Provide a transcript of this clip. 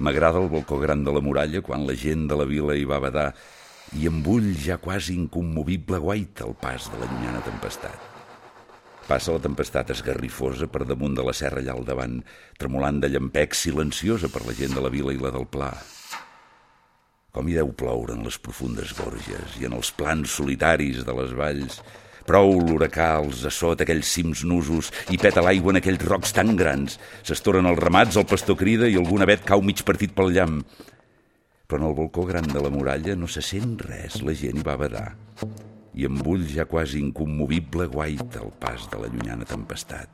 M'agrada el balcó gran de la muralla quan la gent de la vila hi va badar i amb ull ja quasi incommovible guaita el pas de la llunyana tempestat. Passa la tempestat esgarrifosa per damunt de la serra allà al davant, tremolant de llampecs, silenciosa per la gent de la vila i la del Pla. Com hi deu ploure en les profundes gorges i en els plans solitaris de les valls. Prou l'huracà els assota aquells cims nusos i peta l'aigua en aquells rocs tan grans. S'estoren els ramats, el pastor crida i algun avet cau mig partit pel llamp. Però en el balcó gran de la muralla no se sent res, la gent hi va badar. I amb ull ja quasi incommovible guaita el pas de la llunyana tempestat.